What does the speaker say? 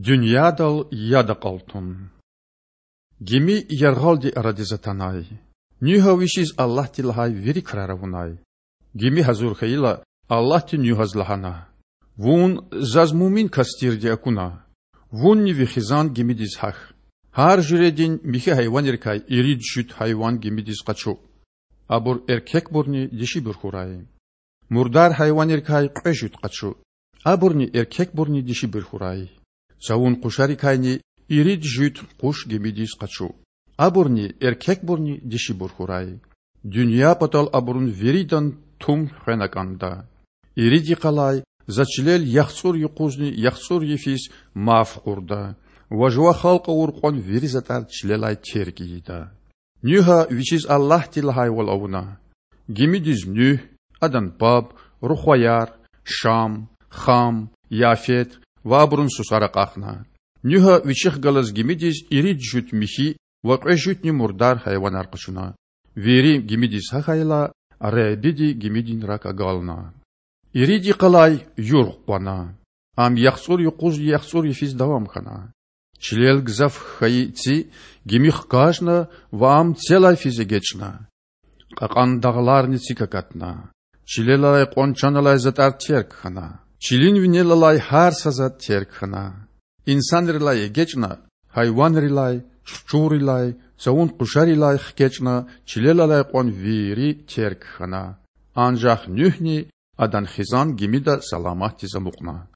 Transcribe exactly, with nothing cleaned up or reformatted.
Дуьньядал яд акьалтун. Гими яргъалди арадиз атанай. Нуьгьа вичиз Аллагьди лагьай вири крар авунай. Гими гьазур хьайила, Аллагьди Нуьгьаз лагьана: Вун Заз муъмин кас тирди акуна. Вунни ви хизан гимидиз гьахь. Гьар жуьредин михьи гьайванрикай ирид жуьт гьайван гимидиз къачу. Абур эркекбурни дишибур хьурай. Мурдар гьайванрикай кьве жуьт къачу. Абурни эркекбурни дишибур хьурай. Цавун къушарикайни ирид жуьт къуш гимидиз къачу. Абурни эркекбурни дишибур хьурай. Дуьнья патал абурун виридан тум хвена кӀанда. Ирид йикъалай За чилел яхцӀур юкъузни яхцӀур йифиз марф кьурда ва жува халкь авур кьван вири затӀар чилелай терг ийида. Нуьгьа вичиз Аллагьди лагьайвал авуна. Гимидиз Нуьгь, адан паб, рухваяр, Шам, Хам, Яфет ва абурун сусар акьахна. Нуьгьа вичихъ галаз гимидиз ирид жуьт михьи ва кьве жуьтни мурдар гьайванар къачуна. Вири гимидиз гьахьайла, Худайди гимидин рак агална. Ирид йикъалай юргъ къвана. Ам яхцӀур юкъузни яхцӀур йифиз давам хьана. Чилел гзаф хьайи ци гими хкажна ва ам целай физ эгечӀна. Кьакьан дагъларни цик акатна. Чилел алай кьван чан алай затӀар терг хьана. Чилин винел алай гьар са затӀ терг хьана. Инсанрилай эгечӀна, гьайванрилай, чурчуррилай, цавун къушарилай хкечӀна, чилел алай кьван вири терг хьана. Анжах Нуьгьни адан хизан гимида саламатдиз амукьна.